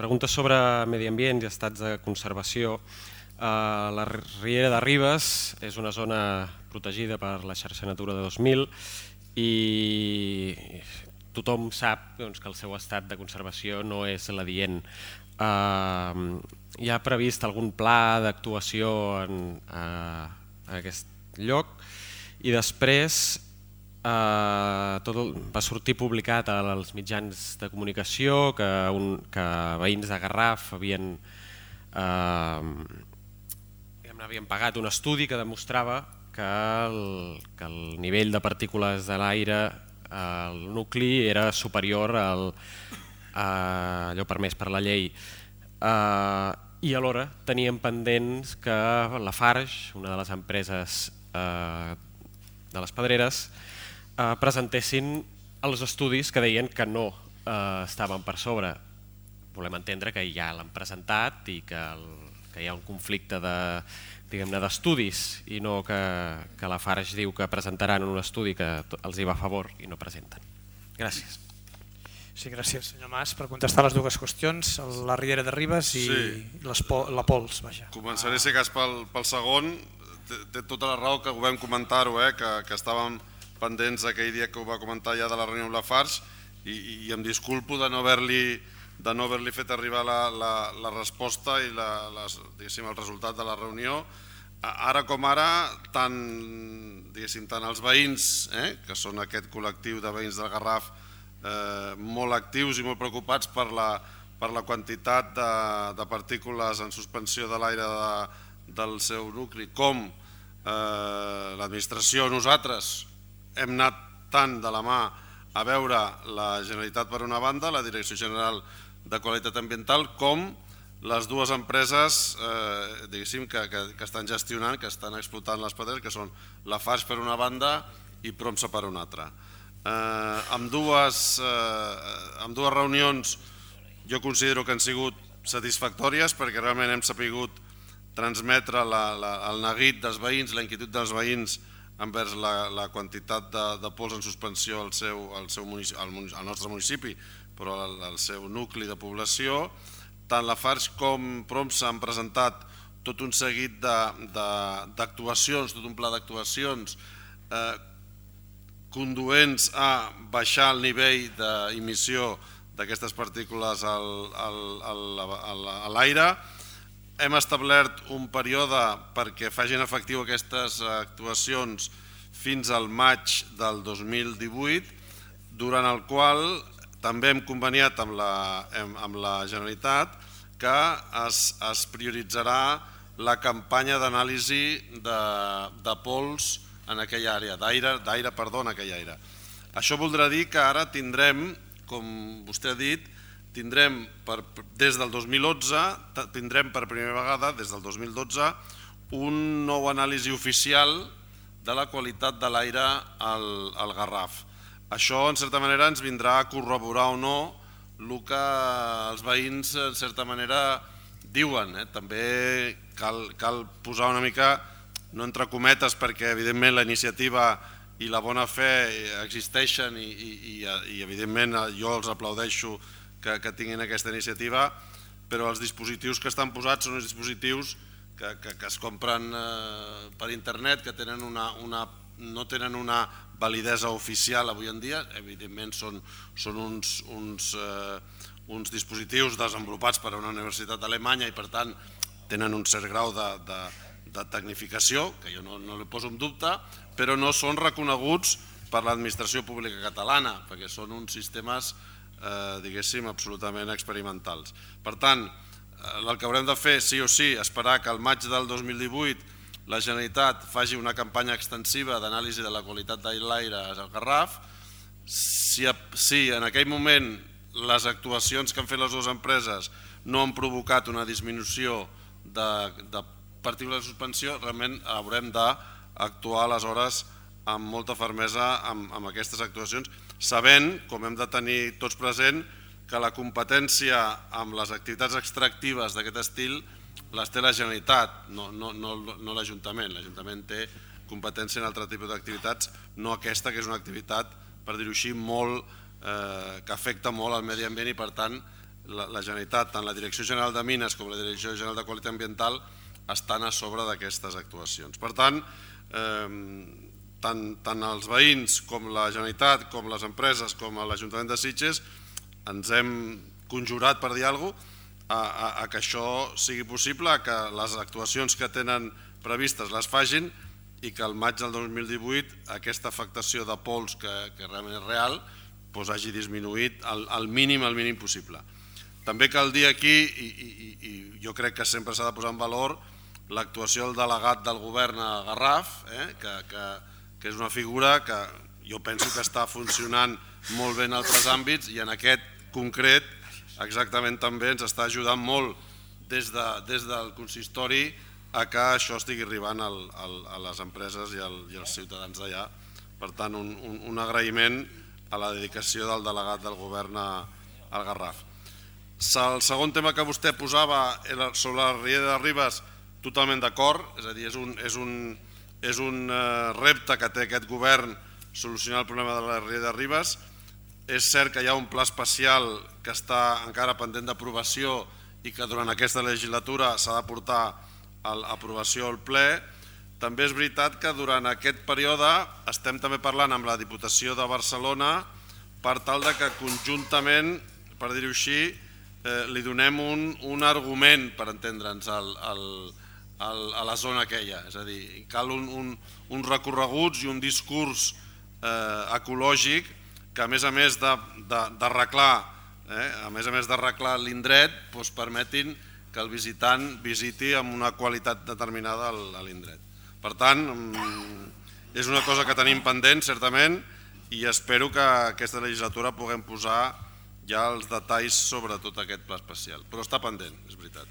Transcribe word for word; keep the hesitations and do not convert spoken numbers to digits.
pregunta sobre medi ambient i estats de conservació. La Riera de Ribes és una zona protegida per la xarxa Natura de dos mil i tothom sap que el seu estat de conservació no és l'adient. Hi ha previst algun pla d'actuació en aquest lloc i després va sortir publicat als mitjans de comunicació que veïns de Garraf havien havien pagat un estudi que demostrava que el nivell de partícules de l'aire al nucli era superior a allò permès per la llei. I alhora teníem pendents que Lafarge, una de les empreses de les Pedreres, presentessin els estudis que deien que no estaven per sobre. Volem entendre que ja l'han presentat i que hi ha un conflicte d'estudis i no que Lafarge diu que presentaran un estudi que els hi va a favor i no presenten. Gràcies. Sí, gràcies, senyor Mas. Per contestar les dues qüestions, la Riera de Ribes i la Pols. Començaré, si cas, pel segon. Té tota la raó que ho vam comentar-ho, que estàvem pendents aquell dia que ho va comentar ja de la reunió amb Lafarge i em disculpo de no haver-li fet arribar la resposta i el resultat de la reunió. Ara com ara, tant els veïns, que són aquest col·lectiu de veïns del Garraf molt actius i molt preocupats per la quantitat de partícules en suspensió de l'aire del seu nucli, com l'administració, nosaltres hem anat tant de la mà a veure la Generalitat per una banda, la Direcció General de Qualitat Ambiental, com les dues empreses que estan gestionant, que estan explotant les pedreres, que són Lafarge per una banda i Promsa per una altra. Amb dues reunions jo considero que han sigut satisfactòries perquè realment hem sabut transmetre el neguit dels veïns, la inquietud dels veïns envers la quantitat de pols en suspensió al nostre municipi, però al seu nucli de població. Tant Lafarge com Promsa han presentat tot un seguit d'actuacions, tot un pla d'actuacions conduents a baixar el nivell d'emissió d'aquestes partícules a l'aire. Hem establert un període perquè facin efectiu aquestes actuacions fins al maig del dos mil divuit, durant el qual també hem conveniat amb la Generalitat que es prioritzarà la campanya d'anàlisi de pols en aquella àrea, d'aire, perdó, en aquella àrea. Això voldrà dir que ara tindrem, com vostè ha dit, tindrem des del dos mil onze, tindrem per primera vegada, des del dos mil dotze, un nou anàlisi oficial de la qualitat de l'aire al Garraf. Això, en certa manera, ens vindrà a corroborar o no el que els veïns, en certa manera, diuen. També cal posar una mica, no entre cometes, perquè, evidentment, la iniciativa i la bona fe existeixen i, evidentment, jo els aplaudeixo que tinguin aquesta iniciativa, però els dispositius que estan posats són els dispositius que es compren per internet, que no tenen una validesa oficial avui en dia. Evidentment són uns dispositius desenvolupats per una universitat alemanya i per tant tenen un cert grau de tecnificació, que jo no li poso en dubte, però no són reconeguts per l'administració pública catalana, perquè són uns sistemes diguéssim, absolutament experimentals. Per tant, el que haurem de fer, sí o sí, esperar que al maig del dos mil divuit la Generalitat faci una campanya extensiva d'anàlisi de la qualitat de l'aire al Garraf. Si en aquell moment les actuacions que han fet les dues empreses no han provocat una disminució de partícules de suspensió, realment haurem d'actuar aleshores amb molta fermesa amb aquestes actuacions, sabent, com hem de tenir tots present, que la competència amb les activitats extractives d'aquest estil les té la Generalitat, no l'Ajuntament. L'Ajuntament té competència en altre tipus d'activitats, no aquesta, que és una activitat, per dir-ho així, que afecta molt al medi ambient i, per tant, la, la Generalitat, tant la Direcció General de Mines com la Direcció General de Qualitat Ambiental, estan a sobre d'aquestes actuacions. Per tant, eh, tant, tant els veïns com la Generalitat, com les empreses, com l'Ajuntament de Sitges, ens hem conjurat, per dir alguna cosa, a, a, a que això sigui possible, que les actuacions que tenen previstes les facin i que al maig del dos mil divuit aquesta afectació de pols, que, que realment és real, doncs hagi disminuït al, al mínim, al mínim possible. També cal dir aquí, i, i, i jo crec que sempre s'ha de posar en valor, l'actuació del delegat del govern a Garraf, eh, que, que, que és una figura que jo penso que està funcionant molt bé en altres àmbits i en aquest concret exactament també ens està ajudant molt des, de, des del consistori a que això estigui arribant al, al, a les empreses i, al, i als ciutadans d'allà. Per tant, un, un, un agraïment a la dedicació del delegat del govern a, al Garraf. El segon tema que vostè posava sobre la riera de Ribes, totalment d'acord, és a dir, és un, és un, és un repte que té aquest govern solucionar el problema de la riera de Ribes. És cert que hi ha un pla especial que està encara pendent d'aprovació i que durant aquesta legislatura s'ha de portar a l'aprovació al ple. També és veritat que durant aquest període estem també parlant amb la Diputació de Barcelona per tal de que conjuntament, per dir-ho així, eh, li donem un, un argument per entendre'ns al, al, al, a la zona aquella. És a dir, cal un, un, uns recorreguts i un discurs eh, ecològic que a més a més d'arreglar eh, a més a més d'arreglar l'indret doncs permetin que el visitant visiti amb una qualitat determinada a l'indret. Per tant, és una cosa que tenim pendent, certament, i espero que aquesta legislatura puguem posar ja els detalls sobre tot aquest pla especial. Però està pendent, és veritat.